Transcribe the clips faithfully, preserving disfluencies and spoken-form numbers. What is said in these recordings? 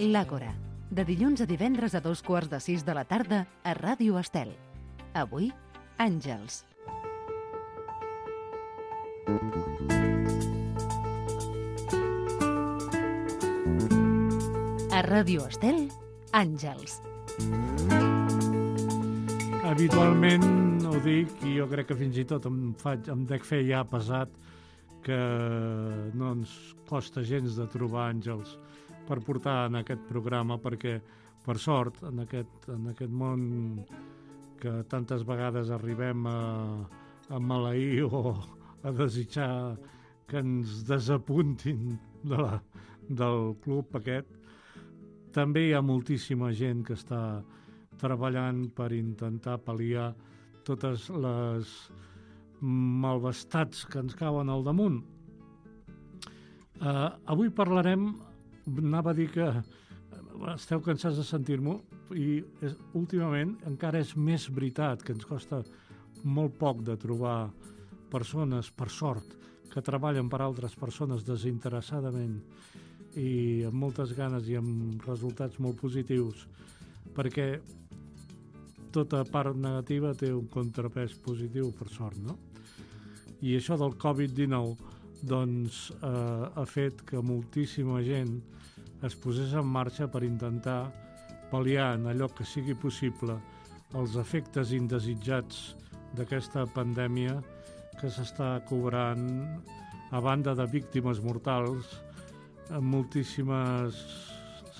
L'Àgora, de dilluns a divendres a dos quarts de sis de la tarda a Ràdio Estel. Avui, Àngels. A Ràdio Estel, Àngels. Habitualment ho dic, i jo crec que fins i tot em, faig, em dec fer ja pesat, que no ens costa gens de trobar àngels per portar en aquest programa, perquè, per sort, en aquest, en aquest món que tantes vegades arribem a, a maleir o a desitjar que ens desapuntin de la, del club aquest, també hi ha moltíssima gent que està treballant per intentar pal·liar totes les malvestats que ens cauen al damunt. Uh, avui parlarem, anava a dir que esteu cansats de sentir-m'ho, i és, últimament encara és més veritat que ens costa molt poc de trobar persones, per sort, que treballen per altres persones desinteressadament i amb moltes ganes i amb resultats molt positius, perquè tota part negativa té un contrapès positiu, per sort, no? I això del covid dinou doncs, eh, ha fet que moltíssima gent es posés en marxa per intentar pal·liar en allò que sigui possible els efectes indesitjats d'aquesta pandèmia que s'està cobrant, a banda de víctimes mortals, moltíssimes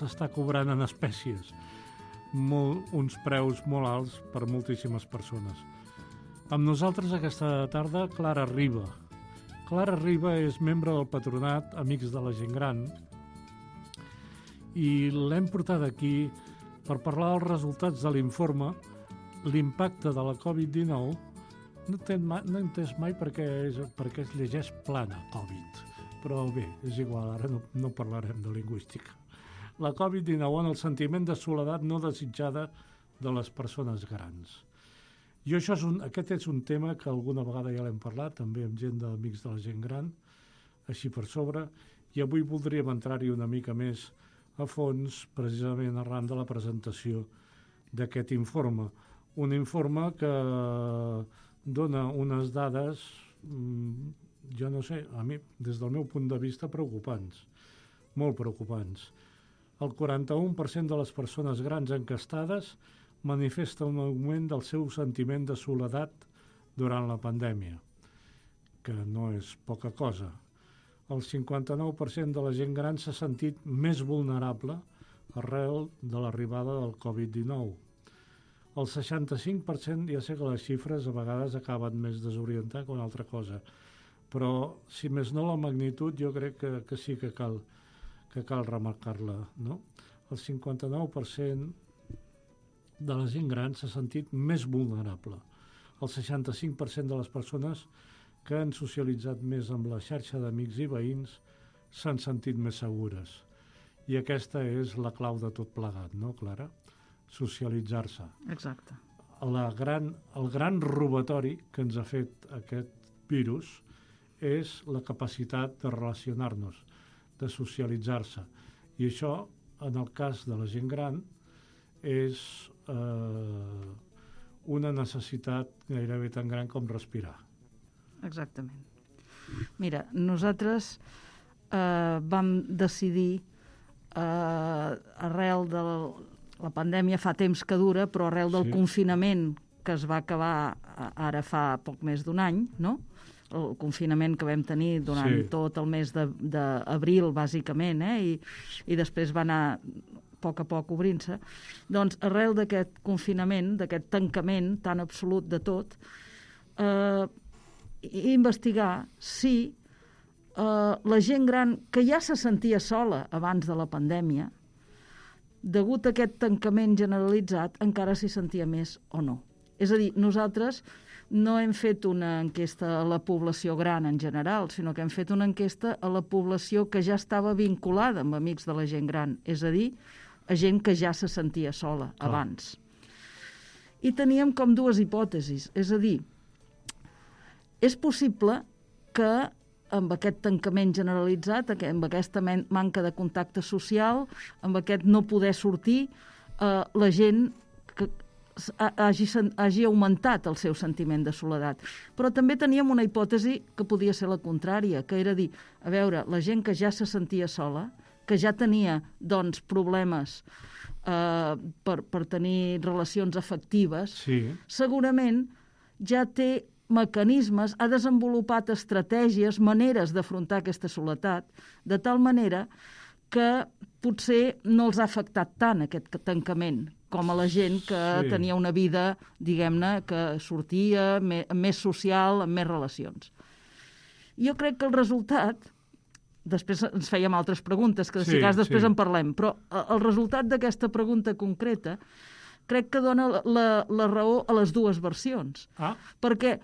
s'està cobrant en espècies, molt, uns preus molt alts per moltíssimes persones. Amb nosaltres aquesta tarda Clara Riba. Clara Riba és membre del patronat Amics de la Gent Gran i l'hem portat aquí per parlar dels resultats de l'informe l'impacte de la covid dinou. No he no entès mai perquè, és, perquè es llegeix plana, Covid, però bé, és igual, ara no, no parlarem de lingüística. La covid dinou en el sentiment de soledat no desitjada de les persones grans. I això és un, aquest és un tema que alguna vegada ja l'hem parlat, també amb gent d'Amics de la Gent Gran, així per sobre, i avui voldríem entrar-hi una mica més a fons, precisament arran de la presentació d'aquest informe. Un informe que dona unes dades, jo no sé, a mi, des del meu punt de vista, preocupants, molt preocupants. El quaranta-u per cent de les persones grans encastades manifesta un augment del seu sentiment de soledat durant la pandèmia, que no és poca cosa. El cinquanta-nou per cent de la gent gran s'ha sentit més vulnerable arrel de l'arribada del covid dinou. El seixanta-cinc per cent, ja sé que les xifres a vegades acaben més desorientant que una altra cosa, però si més no la magnitud jo crec que, que sí que cal, que cal remarcar-la, no? El cinquanta-nou per cent de la gent gran s'ha sentit més vulnerable. El seixanta-cinc per cent de les persones que han socialitzat més amb la xarxa d'amics i veïns s'han sentit més segures. I aquesta és la clau de tot plegat, no, Clara? Socialitzar-se. Exacte. La gran, el gran robatori que ens ha fet aquest virus és la capacitat de relacionar-nos, de socialitzar-se. I això, en el cas de la gent gran, és eh, una necessitat gairebé tan gran com respirar. Exactament. Mira, nosaltres eh, vam decidir, eh, arrel de la, la pandèmia fa temps que dura, però arrel del sí. confinament que es va acabar ara fa poc més d'un any, no? El confinament que vam tenir durant sí. tot el mes d'abril, bàsicament, eh? I, i després va anar a poc a poc obrint-se, doncs arrel d'aquest confinament, d'aquest tancament tan absolut de tot, eh, investigar si eh, la gent gran que ja se sentia sola abans de la pandèmia, degut a aquest tancament generalitzat, encara s'hi sentia més o no. És a dir, nosaltres no hem fet una enquesta a la població gran en general, sinó que hem fet una enquesta a la població que ja estava vinculada amb Amics de la Gent Gran, és a dir, a gent que ja se sentia sola Clar. abans. I teníem com dues hipòtesis, és a dir, és possible que amb aquest tancament generalitzat, amb aquesta manca de contacte social, amb aquest no poder sortir, eh, la gent que hagi, hagi augmentat el seu sentiment de soledat. Però també teníem una hipòtesi que podia ser la contrària, que era dir, a veure, la gent que ja se sentia sola, que ja tenia doncs, problemes eh, per, per tenir relacions afectives, sí. segurament ja té mecanismes, ha desenvolupat estratègies, maneres d'afrontar aquesta soledat, de tal manera que potser no els ha afectat tant aquest tancament, com a la gent que sí. tenia una vida, diguem-ne, que sortia més, més social, amb més relacions. Jo crec que el resultat, després ens fèiem altres preguntes, que si sí, cas després sí. en parlem, però el resultat d'aquesta pregunta concreta crec que dona la, la raó a les dues versions. Ah. Perquè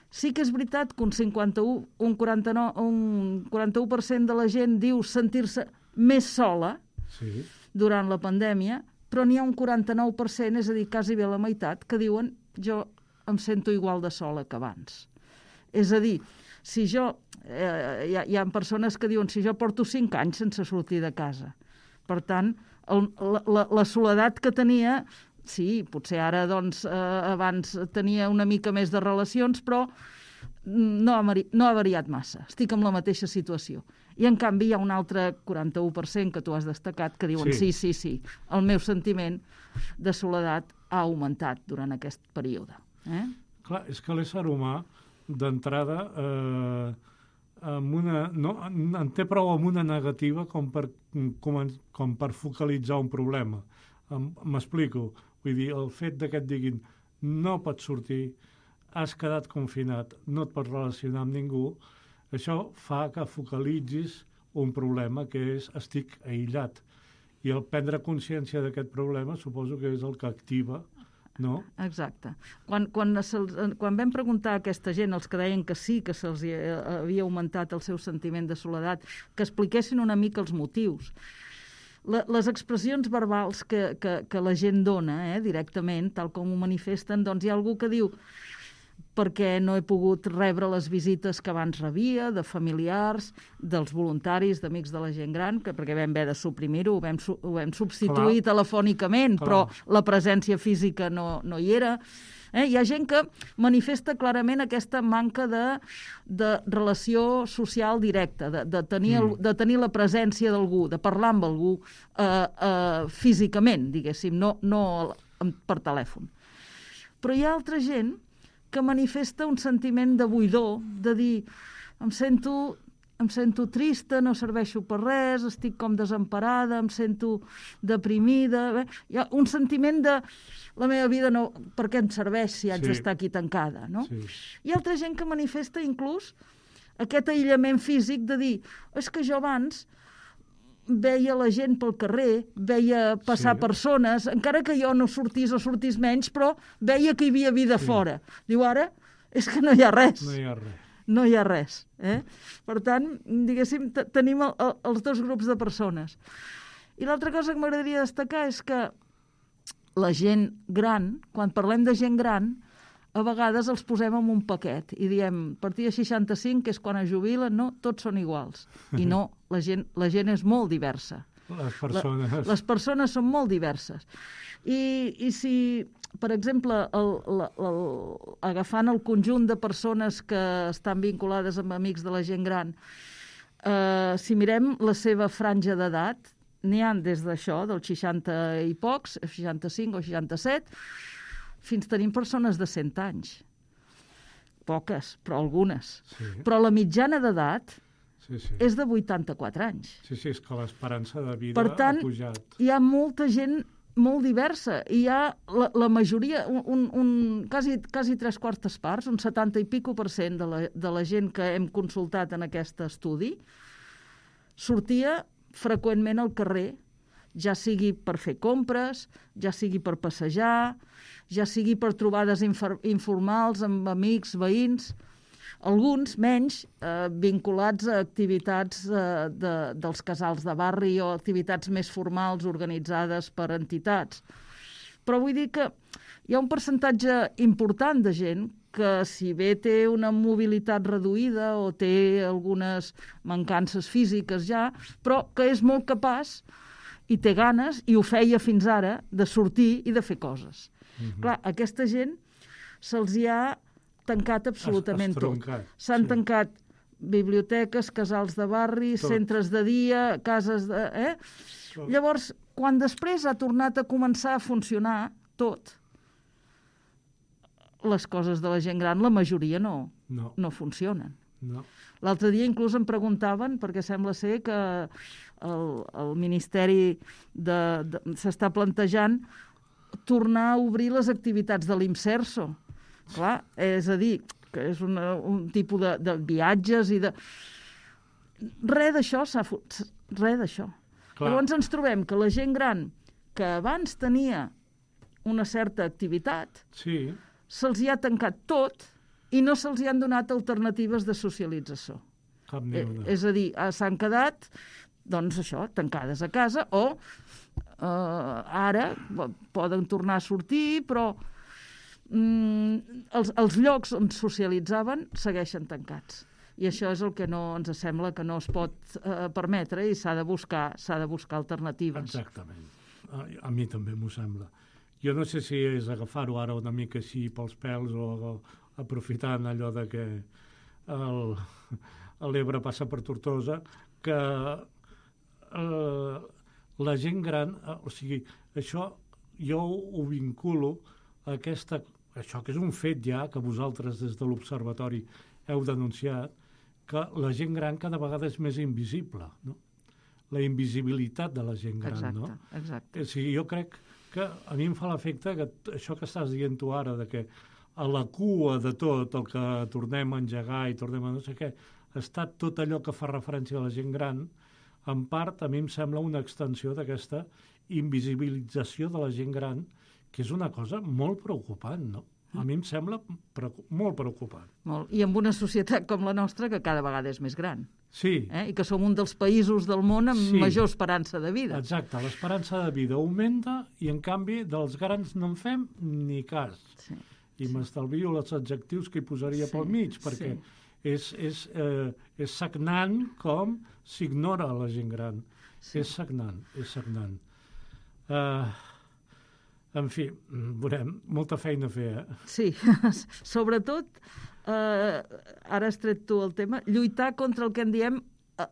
sí que és veritat que un cinquanta-u, un quaranta-nou, un quaranta-u per cent de la gent diu sentir-se més sola sí. durant la pandèmia, però n'hi ha un quaranta-nou per cent, és a dir, quasi bé la meitat, que diuen jo em sento igual de sola que abans. És a dir, si jo, eh, hi, ha, hi ha persones que diuen si jo porto cinc anys sense sortir de casa. Per tant, el, la, la, la soledat que tenia, sí, potser ara doncs, eh, abans tenia una mica més de relacions, però no ha, no ha variat massa. Estic en la mateixa situació. I, en canvi, hi ha un altre quaranta-u per cent que tu has destacat que diuen sí, sí, sí, sí, el meu sentiment de soledat ha augmentat durant aquest període. Eh? Clar, és que l'ésser humà, d'entrada, eh, amb una, no, en té prou amb una negativa com per, com, com per focalitzar un problema. M'explico. Vull dir, el fet de que et diguin no pots sortir, has quedat confinat, no et pots relacionar amb ningú, això fa que focalitzis un problema que és estic aïllat. I el prendre consciència d'aquest problema suposo que és el que activa, no? Exacte. Quan, quan, quan vam preguntar a aquesta gent, els que deien que sí, que se'ls havia augmentat el seu sentiment de soledat, que expliquessin una mica els motius. La, les expressions verbals que, que, que la gent dona eh, directament, tal com ho manifesten, doncs hi ha algú que diu perquè no he pogut rebre les visites que abans rebia, de familiars, dels voluntaris, d'amics de la gent gran, que perquè vam haver de suprimir-ho, ho vam, ho vam substituir Clar. telefònicament, Clar. però la presència física no, no hi era. Eh? Hi ha gent que manifesta clarament aquesta manca de, de relació social directa, de, de, tenir el, de tenir la presència d'algú, de parlar amb algú eh, eh, físicament, diguéssim, no, no per telèfon. Però hi ha altra gent que manifesta un sentiment de buidor, de dir, em sento, em sento trista, no serveixo per res, estic com desemparada, em sento deprimida. Bé, hi ha un sentiment de la meva vida, no, per què em serveix si haig sí. d'estar aquí tancada, no? Sí. Hi ha altra gent que manifesta inclús aquest aïllament físic de dir, és que jo abans veia la gent pel carrer, veia passar sí. persones, encara que jo no sortís o sortís menys, però veia que hi havia vida sí. fora. Diu, ara és que no hi ha res. No hi ha res. No hi ha res. Eh? Per tant, diguéssim, tenim el, el, els dos grups de persones. I l'altra cosa que m'agradaria destacar és que la gent gran, quan parlem de gent gran, a vegades els posem en un paquet i diem, a partir de seixanta-cinc, que és quan es jubilen, no, tots són iguals. I no, la gent, la gent és molt diversa. Les persones. La, les persones són molt diverses. I, i si, per exemple, el, el, el, agafant el conjunt de persones que estan vinculades amb amics de la gent gran, eh, si mirem la seva franja d'edat, n'hi ha des d'això, dels seixanta i pocs, seixanta-cinc o seixanta-set, fins tenim persones de cent anys. Poques, però algunes. Sí. Però la mitjana d'edat sí, sí. és de vuitanta-quatre anys. Sí, sí, és que l'esperança de vida per tant, ha pujat. Hi ha molta gent molt diversa. Hi ha la, la majoria, un, un, un, quasi, quasi tres quartes parts, un setanta i pico per cent de la, de la gent que hem consultat en aquest estudi, sortia freqüentment al carrer, ja sigui per fer compres, ja sigui per passejar, ja sigui per trobades informals amb amics, veïns, alguns menys eh, vinculats a activitats eh, de, dels casals de barri o activitats més formals organitzades per entitats. Però vull dir que hi ha un percentatge important de gent que si bé té una mobilitat reduïda o té algunes mancances físiques ja, però que és molt capaç i té ganes, i ho feia fins ara, de sortir i de fer coses. Mm-hmm. Clar, aquesta gent se'ls hi ha tancat absolutament tot. S'han sí. tancat biblioteques, casals de barri, tot. Centres de dia, cases de... Eh? Llavors, quan després ha tornat a començar a funcionar tot, les coses de la gent gran, la majoria no, no. no funcionen. No. L'altre dia inclús em preguntaven, perquè sembla ser que el, el Ministeri de, de, s'està plantejant tornar a obrir les activitats de l'Imserso. Clar, és a dir, que és una, un tipus de, de viatges i de... Res d'això s'ha fot... Res d'això. Clar. Llavors ens trobem que la gent gran, que abans tenia una certa activitat, sí. se'ls hi ha tancat tot i no se'ls hi han donat alternatives de socialització. Cap eh, és a dir, s'han quedat, doncs això, tancades a casa, o eh, ara poden tornar a sortir, però mm, els, els llocs on socialitzaven segueixen tancats. I això és el que no ens sembla que no es pot eh, permetre i s'ha de buscar, s'ha de buscar alternatives. Exactament. A, a mi també m'ho sembla. Jo no sé si és agafar-ho ara una mica així pels pèls o, o aprofitant allò de que el, l'Ebre passa per Tortosa, que eh, la gent gran, eh, o sigui, això jo ho vinculo a aquesta, això que és un fet ja, que vosaltres des de l'Observatori heu denunciat, que la gent gran cada vegada és més invisible, no? La invisibilitat de la gent gran, exacte, no? Exacte. O sigui, jo crec que a mi em fa l'efecte que això que estàs dient tu ara, de que a la cua de tot el que tornem a engegar i tornem a no sé què, està tot allò que fa referència a la gent gran, en part a mi em sembla una extensió d'aquesta invisibilització de la gent gran, que és una cosa molt preocupant, no? A mi em sembla preocup- molt preocupant. Molt. I amb una societat com la nostra, que cada vegada és més gran. Sí. Eh? I que som un dels països del món amb sí. major esperança de vida. Exacte, l'esperança de vida augmenta i, en canvi, dels grans no en fem ni cas. Sí. I sí. m'estalvio els adjectius que hi posaria sí. pel mig, perquè sí. és, és, eh, és sagnant com s'ignora la gent gran. Sí. És sagnant, és sagnant. Uh, en fi, veurem, molta feina a fer, eh? Sí, sobretot, eh, ara has tret tu el tema, lluitar contra el que en diem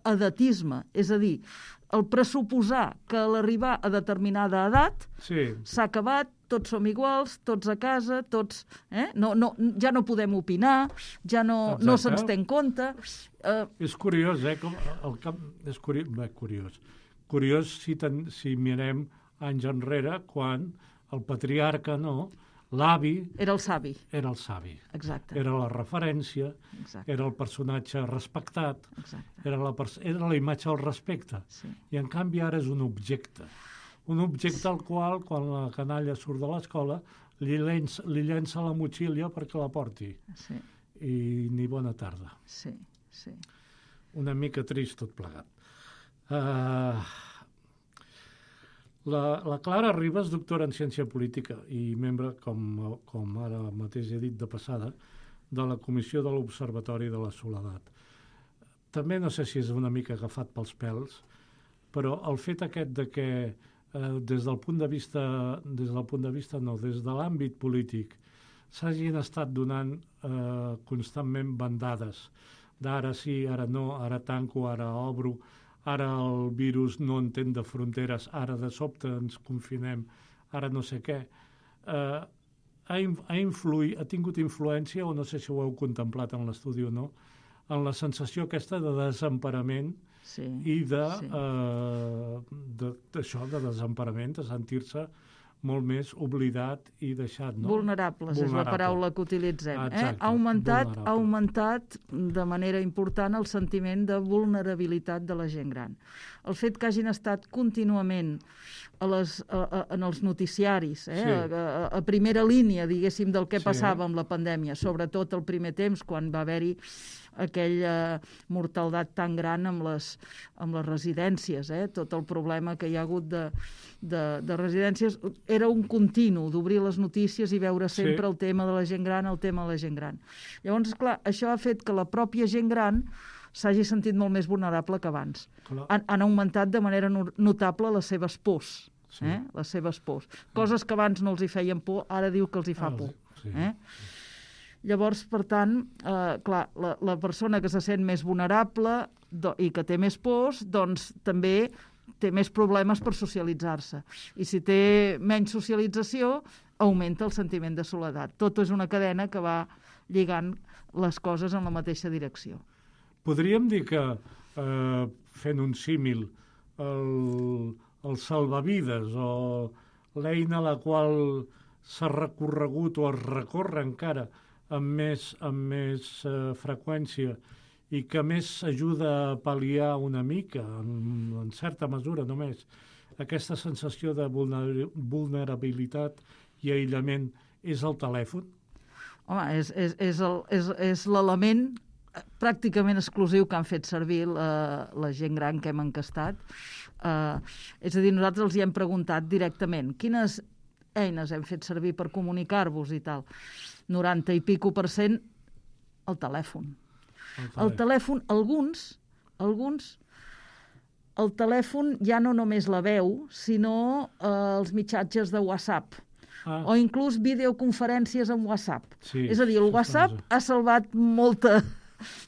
edatisme, és a dir, el pressuposar que a l'arribar a determinada edat sí. s'ha acabat, tots som iguals, tots a casa, tots... Eh? No, no, ja no podem opinar, ja no, no se'ns té en compte. Uh... És curiós, eh? Com el camp... És curi... Bé, curiós. Curiós si, ten... si mirem anys enrere, quan el patriarca, no, l'avi... Era el savi. Era el savi. Exacte. Era la referència, exacte. Era el personatge respectat, exacte. Era la, pers... era la imatge del respecte. Sí. I en canvi ara és un objecte. Un objecte al qual, quan la canalla surt de l'escola, li llença, li llença la motxilla perquè la porti. Sí. I ni bona tarda. Sí, sí. Una mica trist tot plegat. Uh, la, la Clara Ribas, doctora en ciència política i membre, com, com ara mateix he dit de passada, de la Comissió de l'Observatori de la Soledat. També no sé si és una mica agafat pels pèls, però el fet aquest de que eh, des del punt de vista, des del punt de vista no, des de l'àmbit polític s'hagin estat donant eh, constantment bandades d'ara sí, ara no, ara tanco, ara obro, ara el virus no entén de fronteres, ara de sobte ens confinem, ara no sé què, eh, ha, ha, influït, ha tingut influència, o no sé si ho heu contemplat en l'estudi o no, en la sensació aquesta de desemparament sí, i de, sí. eh, de, d'això, de desemparament, de sentir-se molt més oblidat i deixat. No? Vulnerables, Vulnerable. És la paraula que utilitzem. Exacte, eh? Ha augmentat, ha augmentat de manera important el sentiment de vulnerabilitat de la gent gran. El fet que hagin estat contínuament a les, a, a, en els noticiaris, eh? sí. a, a, a primera línia, diguéssim, del que sí. passava amb la pandèmia, sobretot el primer temps, quan va haver-hi aquella mortaldat tan gran amb les, amb les residències, eh? Tot el problema que hi ha hagut de, de, de residències, era un continu d'obrir les notícies i veure sempre Sí. el tema de la gent gran, el tema de la gent gran. Llavors, clar, això ha fet que la pròpia gent gran s'hagi sentit molt més vulnerable que abans. Clar. Han, han augmentat de manera no- notable les seves pors. Sí. Eh? Les seves pors. Coses que abans no els hi feien por, ara diu que els hi fa Ah, por. sí. Eh? Llavors, per tant, eh, clar, la, la persona que se sent més vulnerable do, i que té més pors, doncs també té més problemes per socialitzar-se. I si té menys socialització, augmenta el sentiment de soledat. Tot és una cadena que va lligant les coses en la mateixa direcció. Podríem dir que, eh, fent un símil, el, el salvavides o l'eina a la qual s'ha recorregut o es recorre encara amb més, amb més eh, freqüència i que més ajuda a pal·liar una mica, en, en certa mesura només, aquesta sensació de vulner, vulnerabilitat i aïllament és el telèfon? Home, és, és, és, el, és, és l'element pràcticament exclusiu que han fet servir la, la gent gran que hem encastat. Uh, és a dir, nosaltres els hi hem preguntat directament quines eines hem fet servir per comunicar-vos i tal. noranta i pico per cent el telèfon. El El telèfon, alguns, alguns, el telèfon ja no només la veu, sinó uh, els mitjatges de WhatsApp. Ah. O inclús videoconferències amb WhatsApp. Sí, és a dir, el això WhatsApp és- ha salvat molta...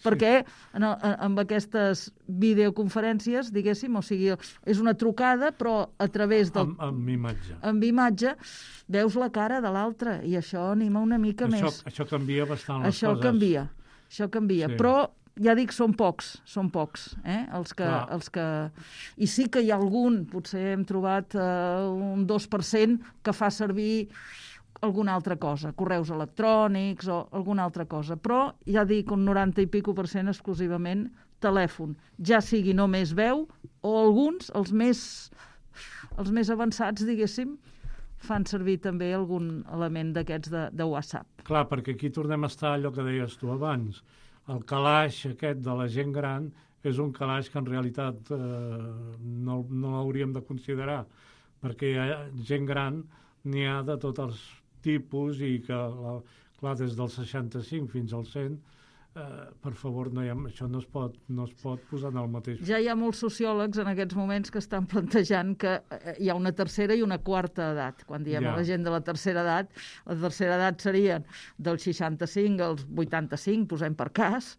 Perquè en, el, amb aquestes videoconferències, diguéssim, o sigui, és una trucada, però a través del... Amb, amb imatge. amb imatge, veus la cara de l'altre, i això anima una mica Això, més. això canvia bastant les Això coses. canvia, això canvia. Sí. Però, ja dic, són pocs, són pocs, eh? els, que, Clar. els que... I sí que hi ha algun, potser hem trobat eh, un dos per cent que fa servir alguna altra cosa, correus electrònics o alguna altra cosa, però ja dic un noranta i pico per cent exclusivament telèfon, ja sigui només veu o alguns, els més, els més avançats, diguéssim, fan servir també algun element d'aquests de, de WhatsApp. Clar, perquè aquí tornem a estar allò que deies tu abans. El calaix aquest de la gent gran és un calaix que en realitat eh, no, no l'hauríem de considerar, perquè hi ha gent gran, n'hi ha de tots els tipus i que, la, clar, des del seixanta-cinc fins al cent, eh, per favor, no hi ha, això no es, pot, no es pot posar en el mateix. Ja hi ha molts sociòlegs en aquests moments que estan plantejant que eh, hi ha una tercera i una quarta edat. Quan diem Ja. a la gent de la tercera edat, la tercera edat serien del seixanta-cinc als vuitanta-cinc, posem per cas,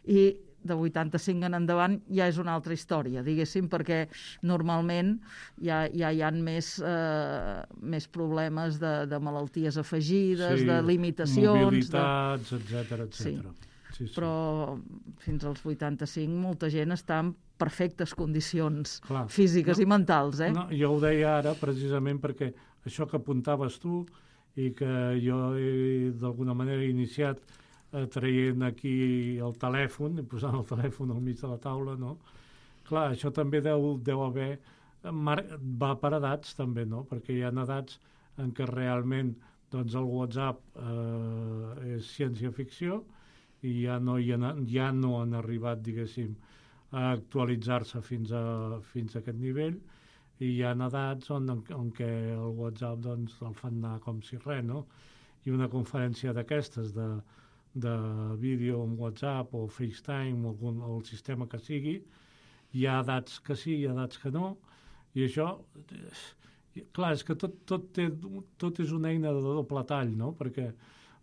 i de vuitanta-cinc en endavant ja és una altra història, diguéssim, perquè normalment ja, ja hi ha més, eh, més problemes de, de malalties afegides, de limitacions... mobilitats, etcètera, etcètera. Sí, sí. Però fins als vuitanta-cinc molta gent està en perfectes condicions Clar. físiques No, i mentals, eh? No, jo ho deia ara precisament perquè això que apuntaves tu i que jo he d'alguna manera iniciat eh, traient aquí el telèfon, i posant el telèfon al mig de la taula, no? Clar, això també deu, deu haver... Mar... va per edats també, no? Perquè hi ha edats en què realment doncs, el WhatsApp eh, és ciència-ficció i ja no, hi ha, ja no han arribat, diguéssim, a actualitzar-se fins a, fins a aquest nivell, i hi ha edats on, on què el WhatsApp doncs, el fan anar com si res, no? I una conferència d'aquestes de, de vídeo en WhatsApp o FaceTime o, algun, o el sistema que sigui, hi ha edats que sí, hi ha edats que no, i això, clar, és que tot, tot, té, tot és una eina de doble tall, no? Perquè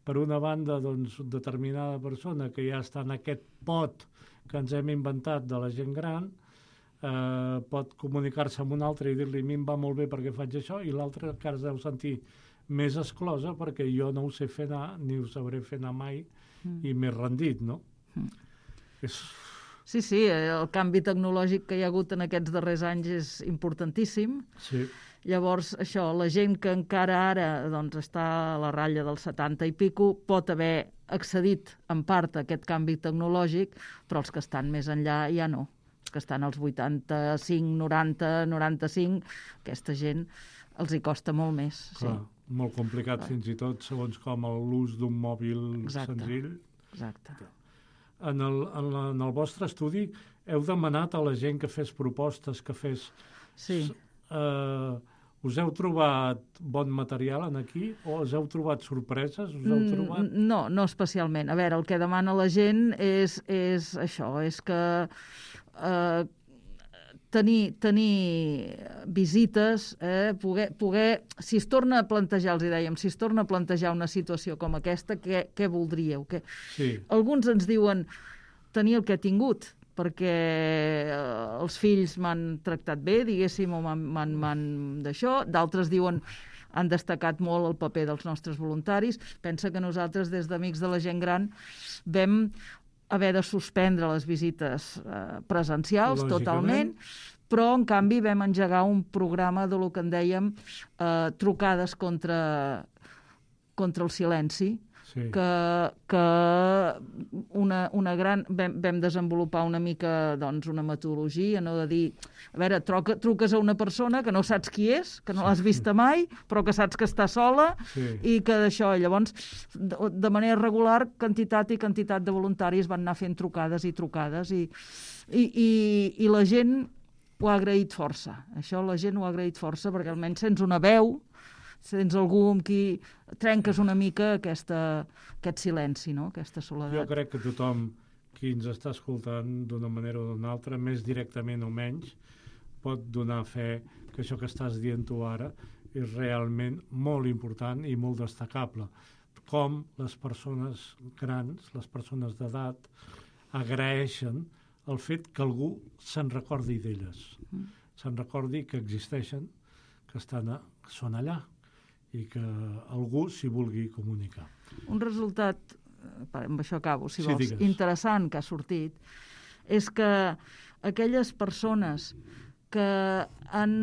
per una banda, doncs, determinada persona que ja està en aquest pot que ens hem inventat de la gent gran, eh, pot comunicar-se amb un altre i dir-li a mi em va molt bé perquè faig això, i l'altre encara es deu sentir més exclosa perquè jo no ho sé fer anar, ni ho sabré fer anar mai, mm. i més rendit, no? Mm. És... Sí, sí, el canvi tecnològic que hi ha hagut en aquests darrers anys és importantíssim. Sí. Llavors, això, la gent que encara ara doncs, està a la ratlla del setanta i pico pot haver accedit en part a aquest canvi tecnològic, però els que estan més enllà ja no. Els que estan als vuitanta-cinc, noranta, noranta-cinc, aquesta gent els hi costa molt més. Clar, sí. Molt complicat Clar. Fins i tot, segons com l'ús d'un mòbil Exacte. senzill. Exacte. En el, en, la, en el vostre estudi heu demanat a la gent que fes propostes, que fes sí. eh, Us heu trobat bon material en aquí o us heu trobat sorpreses? Us heu trobat... No, no especialment. A veure, el que demana la gent és, és això, és que eh, tenir, tenir visites, eh, poder, poder, si es torna a plantejar, els hi dèiem, si es torna a plantejar una situació com aquesta, què, què voldríeu? Què... Sí. Alguns ens diuen tenir el que he tingut, perquè els fills m'han tractat bé, diguéssim, o m'han d'això. D'altres diuen han destacat molt el paper dels nostres voluntaris. Pensa que nosaltres, des d'Amics de la Gent Gran, vam haver de suspendre les visites eh, presencials totalment, però, en canvi, vam engegar un programa de lo que en dèiem eh, trucades contra, contra el silenci, sí. que, que una, una gran... Vam, vam desenvolupar una mica, doncs, una metodologia, no de dir... A veure, troca, truques a una persona que no saps qui és, que no l'has vista mai, però que saps que està sola, sí. i que d'això, llavors, de, de manera regular, quantitat i quantitat de voluntaris van anar fent trucades i trucades, i, i, i, i la gent ho ha agraït força. Això la gent ho ha agraït força, perquè almenys sents una veu, sents algú amb qui trenques una mica aquesta, aquest silenci, no? Aquesta soledat. Jo crec que tothom qui ens està escoltant d'una manera o d'una altra, més directament o menys, pot donar fe que això que estàs dient tu ara és realment molt important i molt destacable. Com les persones grans, les persones d'edat, agraeixen el fet que algú se'n recordi d'elles, mm. se'n recordi que existeixen, que, estan a, que són allà, i que algú s'hi vulgui comunicar. Un resultat, amb això acabo, si sí, vols, digues. interessant que ha sortit, és que aquelles persones que han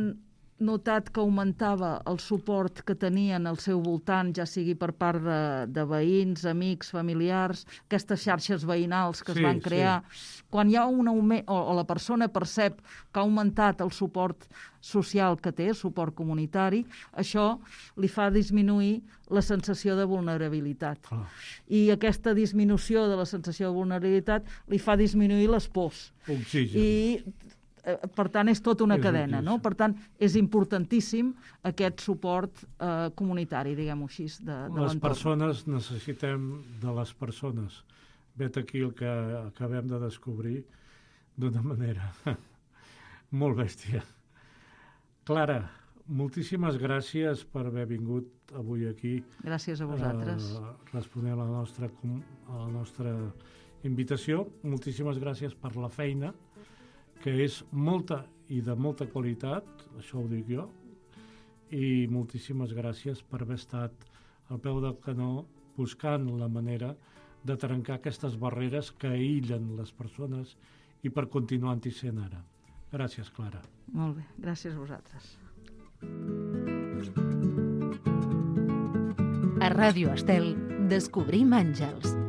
notat que augmentava el suport que tenien al seu voltant, ja sigui per part de, de veïns, amics, familiars, aquestes xarxes veïnals que sí, es van crear, sí. quan hi ha un augment, o, o la persona percep que ha augmentat el suport social que té, el suport comunitari, això li fa disminuir la sensació de vulnerabilitat. Oh. I aquesta disminució de la sensació de vulnerabilitat li fa disminuir les pors. Oxigen. I per tant, és tota una és cadena, no? Per tant, és importantíssim aquest suport eh, comunitari, diguem-ho així, de, de les l'entorn. Persones necessitem de les persones. Vet aquí el que acabem de descobrir d'una manera molt bèstia. Clara, moltíssimes gràcies per haver vingut avui aquí. Gràcies a vosaltres. A respondre a la nostra, a la nostra invitació. Moltíssimes gràcies per la feina, que és molta i de molta qualitat, això ho dic jo, i moltíssimes gràcies per haver estat al peu del canó buscant la manera de trencar aquestes barreres que aïllen les persones i per continuar-hi sent ara. Gràcies, Clara. Molt bé, gràcies a vosaltres. A Ràdio Estel, Descobrim Àngels.